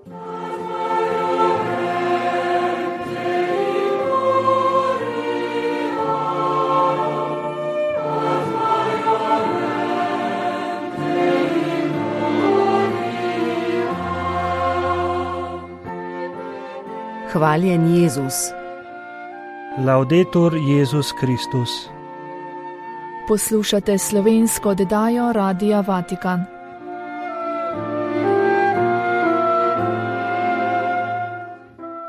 Hvaljen Jezus. Laudetur Jezus Kristus. Poslušate slovensko oddajo Radia Vatikan.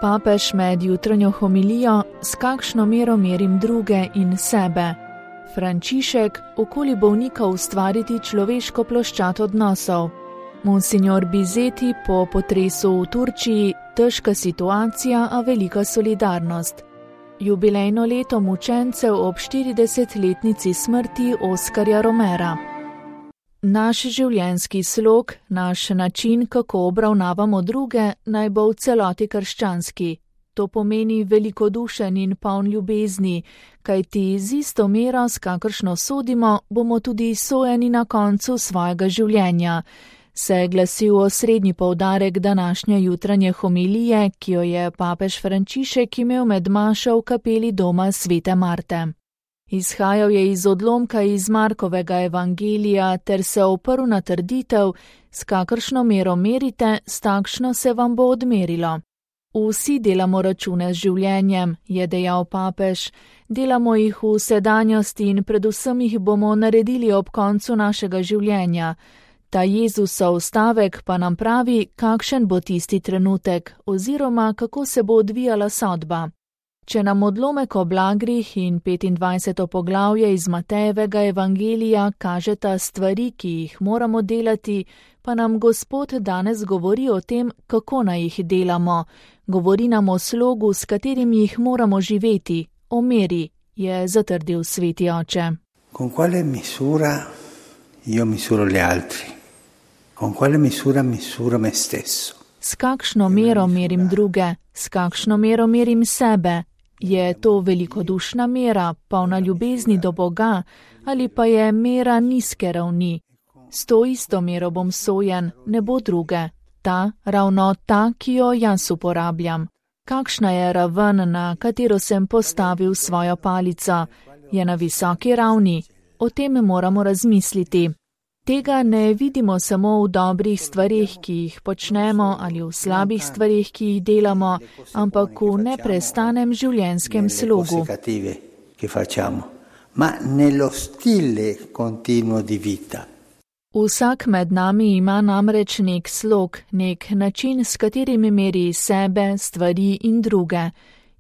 Papež med jutranjo homilijo S kakšno mero merim druge in sebe. Frančišek, okoli bolnika ustvariti človeško ploščad odnosov. Monsignor Bizeti po potresu v Turčiji, težka situacija, a velika solidarnost. Jubilejno leto mučencev ob 40-letnici smrti Oskarja Romera. Naš življenjski slog, naš način, kako obravnavamo druge, naj bo v celoti krščanski. To pomeni velikodušen in poln ljubezni, kajti z isto mero, s kakršno sodimo, bomo tudi sojeni na koncu svojega življenja, se glasil osrednji poudarek današnje jutranje homilije, ki jo je papež Frančišek imel med mašo v kapeli doma Svete Marte. Izhajal je iz odlomka iz Markovega evangelija ter se oprl na trditev, s kakršno mero merite, s takšno se vam bo odmerilo. Vsi delamo račune z življenjem, je dejal papež, delamo jih v sedanjosti in predvsem jih bomo naredili ob koncu našega življenja. Ta Jezusov stavek pa nam pravi, kakšen bo tisti trenutek oziroma kako se bo odvijala sodba. Če nam odlomek o blagrih in 25. poglavje iz Matejevega evangelija kažeta stvari, ki jih moramo delati, pa nam Gospod danes govori o tem, kako naj jih delamo. Govori nam o slogu, s katerim jih moramo živeti, o meri, je zatrdil sveti oče. Con quale misura io misuro gli altri? Con quale misura misuro me stesso? S kakšno mero merim druge, s kakšno mero merim sebe? Je to velikodušna mera, polna ljubezni do Boga, ali pa je mera nizke ravni? S to isto mero bom sojen, ne bo druge. Ravno ta, ki jo jaz uporabljam. Kakšna je raven, na katero sem postavil svojo palico? Je na visoki ravni? O tem moramo razmisliti. Tega ne vidimo samo v dobrih stvarih, ki jih počnemo, ali v slabih stvarih, ki jih delamo, ampak v neprestanem življenjskem slogu. Vsak med nami ima namreč nek slog, nek način, s katerim meri sebe, stvari in druge.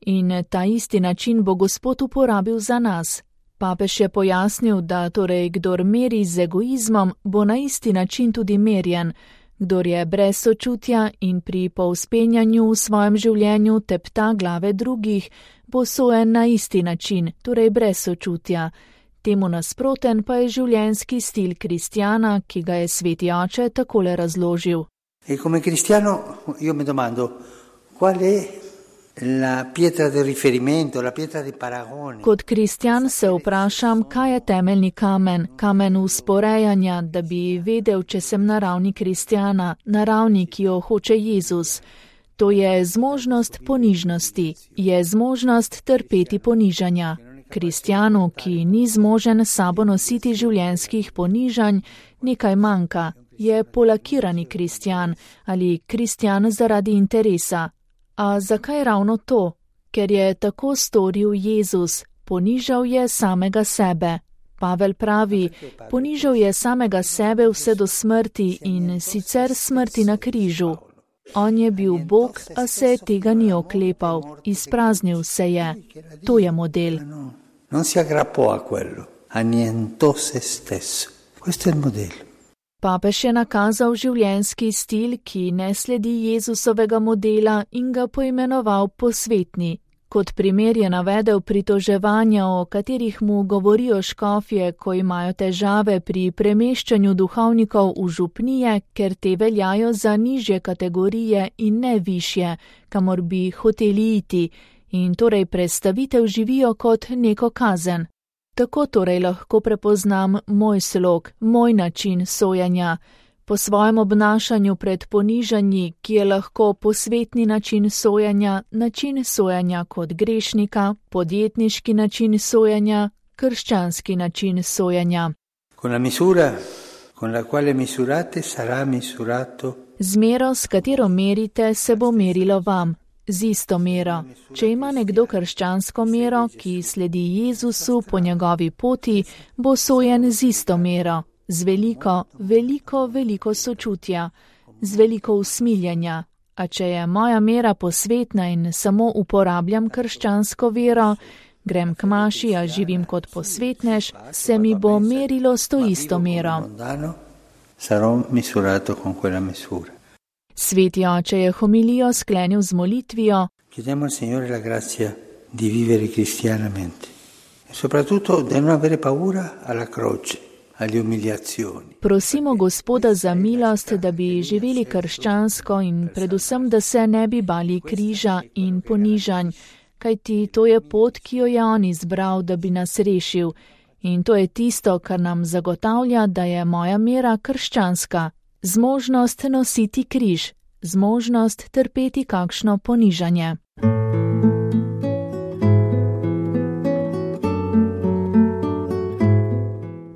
In ta isti način bo Gospod uporabil za nas. Papež je pojasnil, da torej kdor meri z egoizmom, bo na isti način tudi merjen. Kdor je brez sočutja in pri povzpenjanju v svojem življenju tepta glave drugih, bo sojen na isti način, torej brez sočutja. Temu nasproten pa je življenjski stil kristjana, ki ga je sveti oče takole razložil. E come cristiano io mi domando, qual è la pietra di riferimento, la pietra di paragone? Kot kristjan se vprašam, kaj je temeljni kamen, kamen usporejanja, da bi vedel, če sem na ravni kristjana, na ravni, ki jo hoče Jezus. To je zmožnost ponižnosti, je zmožnost trpeti ponižanja. Kristjanu, ki ni zmožen sabo nositi življenjskih ponižanj, nekaj manjka, je polakirani kristjan ali kristjan zaradi interesa. A zakaj ravno to? Ker je tako storil Jezus, ponižal je samega sebe. Pavel pravi, ponižal je samega sebe vse do smrti in sicer smrti na križu. On je bil Bog, a se tega ni oklepal, izpraznil se je. To je model. Non si aggrappò a quello, annientò se stesso. Questo è il modello. Papež je nakazal življenjski stil, ki ne sledi Jezusovega modela in ga poimenoval posvetni. Kot primer je navedel pritoževanja, o katerih mu govorijo škofje, ko imajo težave pri premeščanju duhovnikov v župnije, ker te veljajo za nižje kategorije in ne višje, kamor bi hoteli iti, in torej predstavitev živijo kot neko kazen. Tako torej lahko prepoznam moj slog, moj način sojenja. Po svojem obnašanju pred ponižanji, ki je lahko posvetni način sojenja kot grešnika, podjetniški način sojenja, krščanski način sojenja. Z mero, s katero merite, se bo merilo vam. Z isto mero. Če ima nekdo krščansko mero, ki sledi Jezusu po njegovi poti, bo sojen z isto mero. Z veliko sočutja, z veliko usmiljenja. A če je moja mera posvetna in samo uporabljam krščansko vero, grem k maši, a živim kot posvetnež, se mi bo merilo s to isto mero. Sveti oče je homilijo sklenil z molitvijo: Chiediamo al Signore la grazia di vivere cristianamente e soprattutto di non avere paura alla croce. Prosimo Gospoda za milost, da bi živeli krščansko in predvsem, da se ne bi bali križa in ponižanj, kajti to je pot, ki jo je on izbral, da bi nas rešil. In to je tisto, kar nam zagotavlja, da je moja mera krščanska. Zmožnost nositi križ, zmožnost trpeti kakšno ponižanje.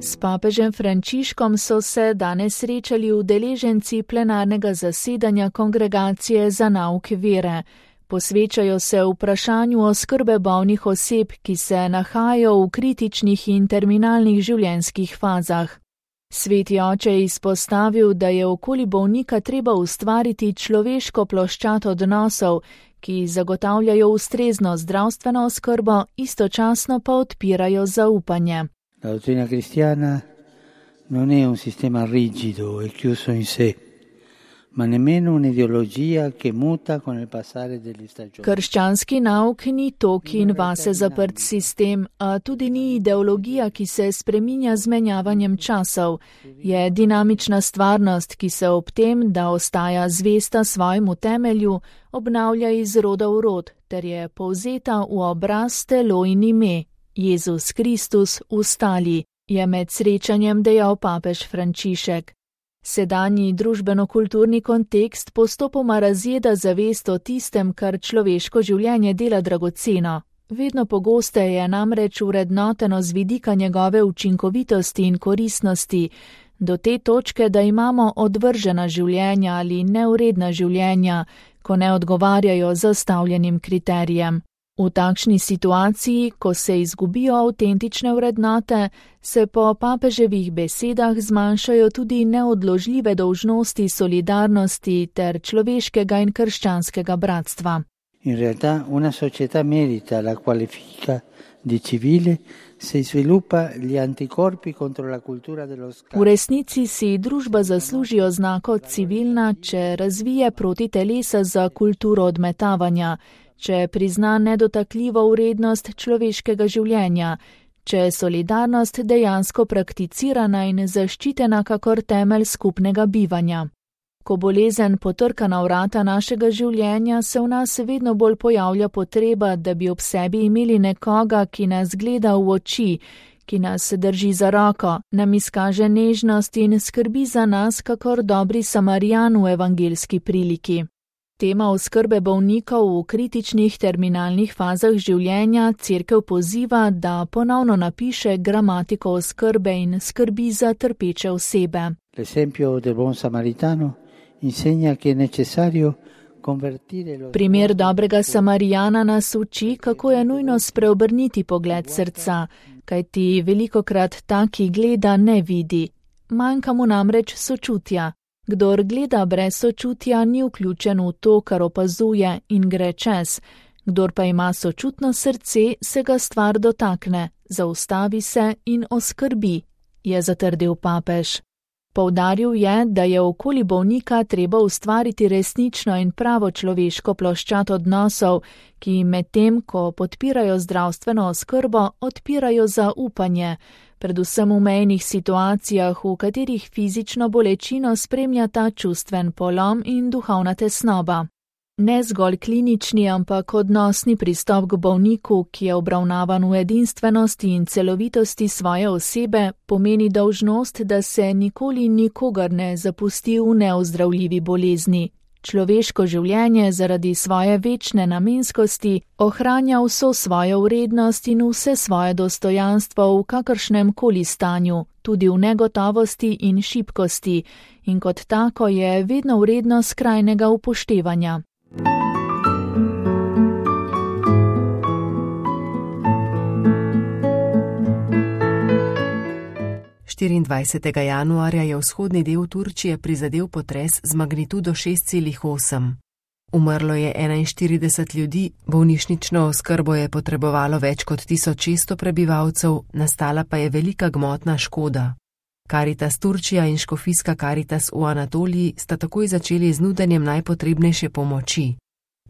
S papežem Frančiškom so se danes srečali udeleženci plenarnega zasedanja Kongregacije za nauk vere. Posvečajo se vprašanju oskrbe bolnih oseb, ki se nahajajo v kritičnih in terminalnih življenjskih fazah. Sveti oče je izpostavil, da je okoli bolnika treba ustvariti človeško ploščad odnosov, ki zagotavljajo ustrezno zdravstveno oskrbo, istočasno pa odpirajo zaupanje. La dottrina cristiana non è un sistema rigido e chiuso in sé, ma nemmeno un'ideologia che muta con il passare delle stagioni. Krščanski nauk ni tok in vase zaprt sistem, a tudi ni ideologija, ki se spreminja z menjavanjem časov. Je dinamična stvarnost, ki se ob tem, da ostaja zvesta svojemu temelju, obnavlja iz roda v rod, ter je povzeta v obraz, telo in ime. Jezus Kristus vstali, je med srečanjem dejal papež Frančišek. Sedanji družbeno-kulturni kontekst postopoma razjeda zavest o tistem, kar človeško življenje dela dragoceno. Vedno pogosteje je namreč vrednoteno z vidika njegove učinkovitosti in koristnosti, do te točke, da imamo odvržena življenja ali neuredna življenja, ko ne odgovarjajo zastavljenim kriterijem. V takšni situaciji, ko se izgubijo avtentične vrednote, se po papeževih besedah zmanjšajo tudi neodložljive dolžnosti solidarnosti ter človeškega in krščanskega bratstva. In realtà una società merita la qualifica di civile se sviluppa gli anticorpi contro la cultura dello scambio. V resnici si družba zasluži oznako civilna, če razvije proti telesa za kulturo odmetavanja, če prizna nedotakljivo vrednost človeškega življenja, če je solidarnost dejansko prakticirana in zaščitena kakor temelj skupnega bivanja. Ko bolezen potrka na vrata našega življenja, se v nas vedno bolj pojavlja potreba, da bi ob sebi imeli nekoga, ki nas gleda v oči, ki nas drži za roko, nam izkaže nežnost in skrbi za nas kakor dobri Samarijan v evangeljski priliki. Tema oskrbe bolnikov v kritičnih terminalnih fazah življenja Cerkev poziva, da ponovno napiše gramatiko oskrbe in skrbi za trpeče osebe. L'esempio del buon samaritano insegna che è necessario convertire lo... Primer dobrega Samarijana nas uči, kako je nujno spreobrniti pogled srca, kajti velikokrat ta, ki gleda, ne vidi. Manjka mu namreč sočutja. Kdor gleda brez sočutja, ni vključen v to, kar opazuje in gre čez. Kdor pa ima sočutno srce, se ga stvar dotakne, zaustavi se in oskrbi, je zatrdil papež. Poudaril je, da je okoli bolnika treba ustvariti resnično in pravo človeško ploščad odnosov, ki medtem, ko podpirajo zdravstveno oskrbo, odpirajo zaupanje, predvsem v mejnih situacijah, v katerih fizično bolečino spremljata čustven polom in duhovna tesnoba. Ne zgolj klinični, ampak odnosni pristop k bolniku, ki je obravnavan v edinstvenosti in celovitosti svoje osebe, pomeni dolžnost, da se nikoli nikogar ne zapusti v neozdravljivi bolezni. Človeško življenje zaradi svoje večne namenskosti ohranja vso svojo vrednost in vse svoje dostojanstvo v kakršnem koli stanju, tudi v negotovosti in šibkosti, in kot tako je vedno vredno skrajnega upoštevanja. Januarja je vzhodni del Turčije prizadel potres z magnitudo 6,8. Umrlo je 41 ljudi, bolnišnično oskrbo je potrebovalo več kot 1600 prebivalcev, nastala pa je velika gmotna škoda. Caritas Turčija in škofijska Caritas v Anatoliji sta takoj začeli z nudenjem najpotrebnejše pomoči.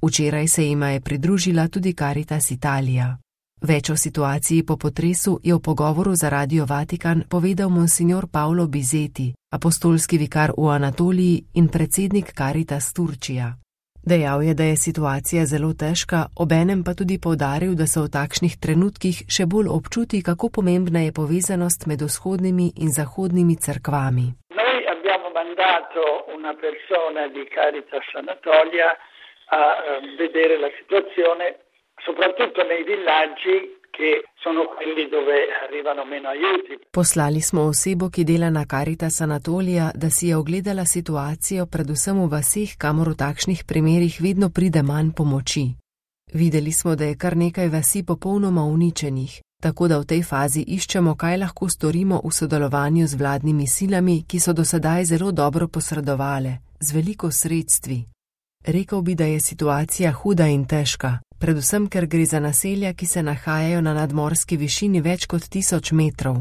Včeraj se jima je pridružila tudi Caritas Italija. Več o situaciji po potresu je v pogovoru za Radio Vatikan povedal monsignor Paolo Bizeti, apostolski vikar v Anatoliji in predsednik Caritas Turčija. Dejal je, da je situacija zelo težka, obenem pa tudi poudaril, da se v takšnih trenutkih še bolj občuti, kako pomembna je povezanost med vzhodnimi in zahodnimi cerkvami. Noi abbiamo mandato una persona di Caritas Anatolia a vedere la situazione, soprattutto nei villaggi che sono quelli dove arrivano meno aiuti. Poslali smo osebo, ki dela na Caritas Anatolija, da si je ogledala situacijo predvsem v vaseh, kamor v takšnih primerih vedno pride manj pomoči. Videli smo, da je kar nekaj vasi popolnoma uničenih, tako da v tej fazi iščemo, kaj lahko storimo v sodelovanju z vladnimi silami, ki so do sedaj zelo dobro posredovale, z veliko sredstvi. Rekel bi, da je situacija huda in težka, predvsem ker gre za naselja, ki se nahajajo na nadmorski višini več kot 1000 metrov.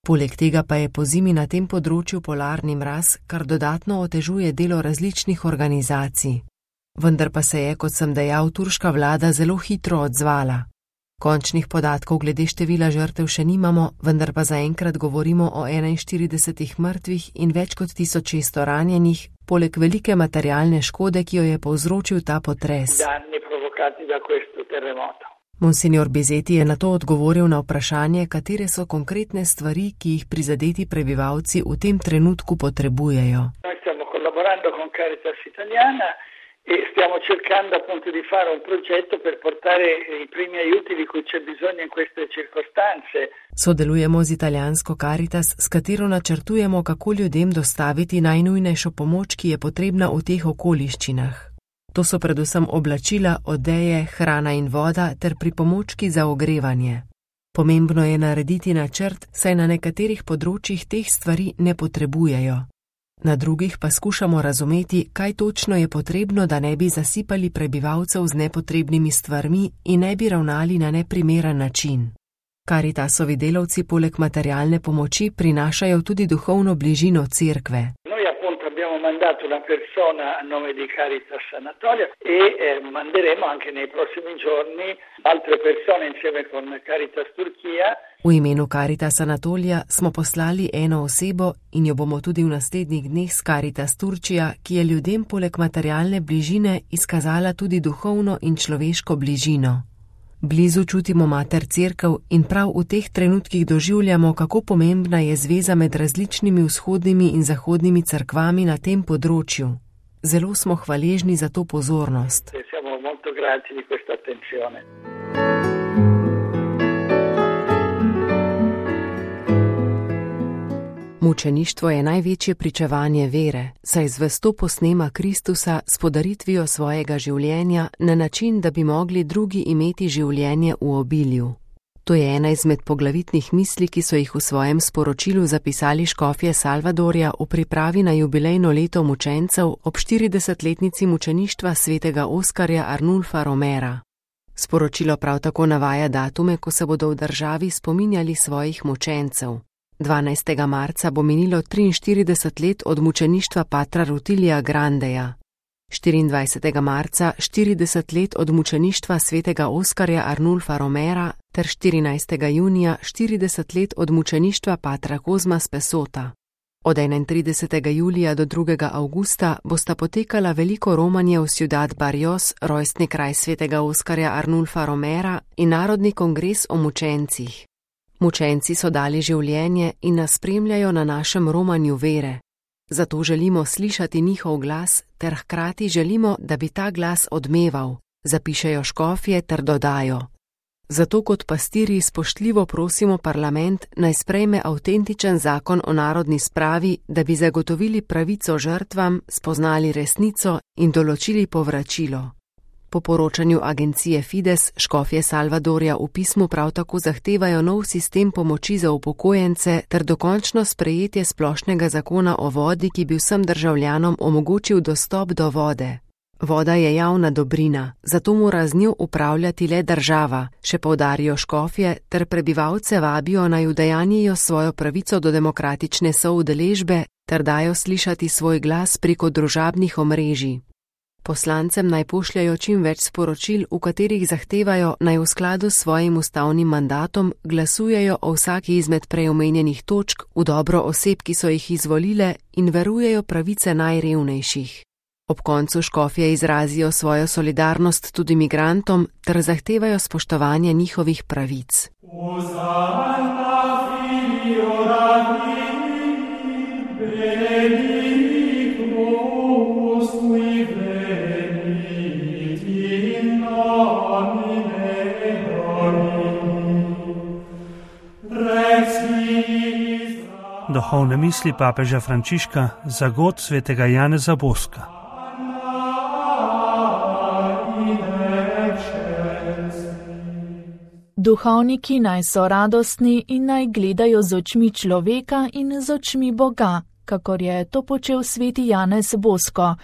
Poleg tega pa je pozimi na tem področju polarni mraz, kar dodatno otežuje delo različnih organizacij. Vendar pa se je, kot sem dejal, turška vlada zelo hitro odzvala. Končnih podatkov glede števila žrtev še nimamo, vendar pa zaenkrat govorimo o 41 mrtvih in več kot 1600 ranjenih, poleg velike materialne škode, ki jo je povzročil ta potres. Monsignor Bizeti je na to odgovoril na vprašanje, katere so konkretne stvari, ki jih prizadeti prebivalci v tem trenutku potrebujejo. Noi stiamo collaborando con Caritas Italiana e stiamo cercando appunto di fare un progetto per portare i primi aiuti di cui c'è bisogno in queste circostanze. Sodelujemo z italijansko Caritas, s katero načrtujemo, kako ljudem dostaviti najnujnejšo pomoč, ki je potrebna v teh okoliščinah. To so predvsem oblačila, odeje, hrana in voda ter pripomočki za ogrevanje. Pomembno je narediti načrt, saj na nekaterih področjih teh stvari ne potrebujejo. Na drugih pa skušamo razumeti, kaj točno je potrebno, da ne bi zasipali prebivalcev z nepotrebnimi stvarmi in ne bi ravnali na neprimeren način. Caritasovi delavci poleg materialne pomoči prinašajo tudi duhovno bližino cerkve. Noi appunto abbiamo mandato una persona a nome di Caritas Anatolia e manderemo anche nei prossimi giorni altre persone insieme con Caritas Turchia. V imenu Caritas Anatolija smo poslali eno osebo in jo bomo tudi v naslednjih dneh s Caritas Turčija, ki je ljudem poleg materialne bližine izkazala tudi duhovno in človeško bližino. Blizu čutimo mater cerkev in prav v teh trenutkih doživljamo, kako pomembna je zveza med različnimi vzhodnimi in zahodnimi cerkvami na tem področju. Zelo smo hvaležni za to pozornost. Siamo molto grati di questa attenzione. Mučeništvo je največje pričevanje vere, saj zvesto posnema Kristusa s podaritvijo svojega življenja na način, da bi mogli drugi imeti življenje v obilju. To je ena izmed poglavitnih misli, ki so jih v svojem sporočilu zapisali škofje Salvadorja v pripravi na jubilejno leto mučencev ob 40-letnici mučeništva svetega Oskarja Arnulfa Romera. Sporočilo prav tako navaja datume, ko se bodo v državi spominjali svojih mučencev. 12. marca bo minilo 43 let od mučeništva patra Rutilija Grandeja, 24. marca 40 let od mučeništva svetega Oskarja Arnulfa Romera ter 14. junija 40 let od mučeništva patra Kozma Spesota. Od 31. julija do 2. avgusta bosta potekala veliko romanje v Ciudad Barrios, rojstni kraj svetega Oskarja Arnulfa Romera, in narodni kongres o mučencih. Mučenci so dali življenje in nas spremljajo na našem romanju vere. Zato želimo slišati njihov glas ter hkrati želimo, da bi ta glas odmeval, zapišejo škofje ter dodajo. Zato kot pastirji spoštljivo prosimo parlament naj sprejme avtentičen zakon o narodni spravi, da bi zagotovili pravico žrtvam, spoznali resnico in določili povračilo. Po poročanju agencije Fides, škofje Salvadorja v pismu prav tako zahtevajo nov sistem pomoči za upokojence ter dokončno sprejetje splošnega zakona o vodi, ki bi vsem državljanom omogočil dostop do vode. Voda je javna dobrina, zato mora z njo upravljati le država, še poudarijo škofje, ter prebivalce vabijo naj udejanjijo svojo pravico do demokratične soudeležbe ter dajo slišati svoj glas preko družabnih omrežij. Poslancem naj pošljajo čim več sporočil, v katerih zahtevajo naj v skladu s svojim ustavnim mandatom glasujejo o vsaki izmed preomenjenih točk v dobro oseb, ki so jih izvolile, in verujejo pravice najrevnejših. Ob koncu škofje izrazijo svojo solidarnost tudi migrantom ter zahtevajo spoštovanje njihovih pravic. Duhovne misli papeža Frančiška za god svetega Janeza Boska. Duhovniki naj so radostni in naj gledajo z očmi človeka in z očmi Boga, kakor je to počel sveti Janez Bosko,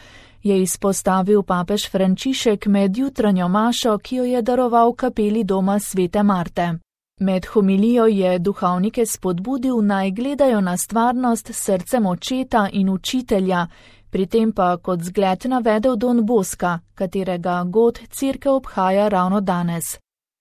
je izpostavil papež Frančišek med jutranjo mašo, ki jo je daroval kapeli doma svete Marte. Med homilijo je duhovnike spodbudil naj gledajo na stvarnost s srcem očeta in učitelja, pri tem pa kot zgled navedel Don Boska, katerega god cerkev obhaja ravno danes.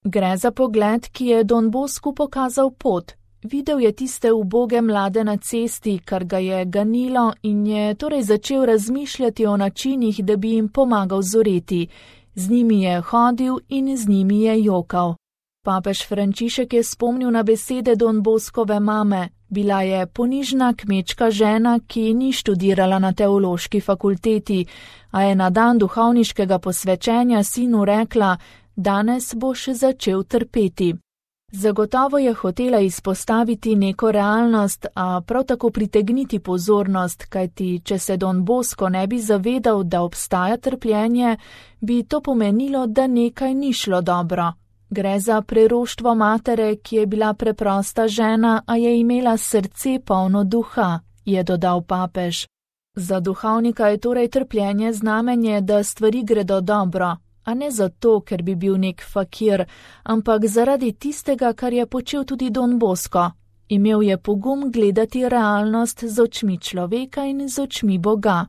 Gre za pogled, ki je Don Bosku pokazal pot. Videl je tiste uboge mlade na cesti, kar ga je ganilo, in je torej začel razmišljati o načinih, da bi jim pomagal zoreti. Z njimi je hodil in z njimi je jokal. Papež Frančišek je spomnil na besede Don Boskove mame. Bila je ponižna kmečka žena, ki ni študirala na teološki fakulteti, a je na dan duhovniškega posvečenja sinu rekla: danes boš začel trpeti. Zagotovo je hotela izpostaviti neko realnost, a prav tako pritegniti pozornost, kajti če se Don Bosko ne bi zavedal, da obstaja trpljenje, bi to pomenilo, da nekaj ni šlo dobro. Gre za preroštvo matere, ki je bila preprosta žena, a je imela srce polno duha, je dodal papež. Za duhovnika je torej trpljenje znamenje, da stvari gredo dobro, a ne zato, ker bi bil nek fakir, ampak zaradi tistega, kar je počel tudi Don Bosko. Imel je pogum gledati realnost z očmi človeka in z očmi Boga.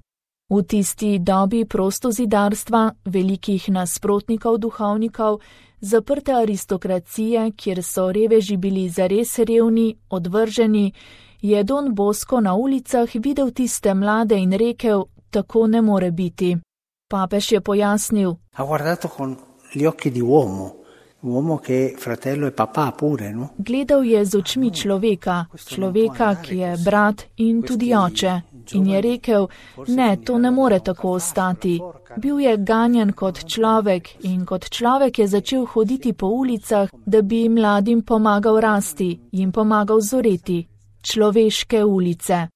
V tisti dobi prostozidarstva, velikih nasprotnikov duhovnikov, zaprte aristokracije, kjer so reveži bili zares revni, odvrženi, je Don Bosko na ulicah videl tiste mlade in rekel: tako ne more biti. Papež je pojasnil: gledal je z očmi človeka, ki je brat in tudi oče, in je rekel: ne, to ne more tako ostati. Bil je ganjen kot človek in kot človek je začel hoditi po ulicah, da bi mladim pomagal rasti, jim pomagal zoreti. Človeške ulice.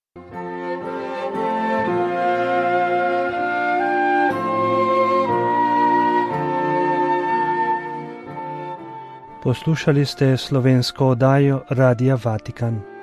Poslušali ste slovensko oddajo Radia Vatikan.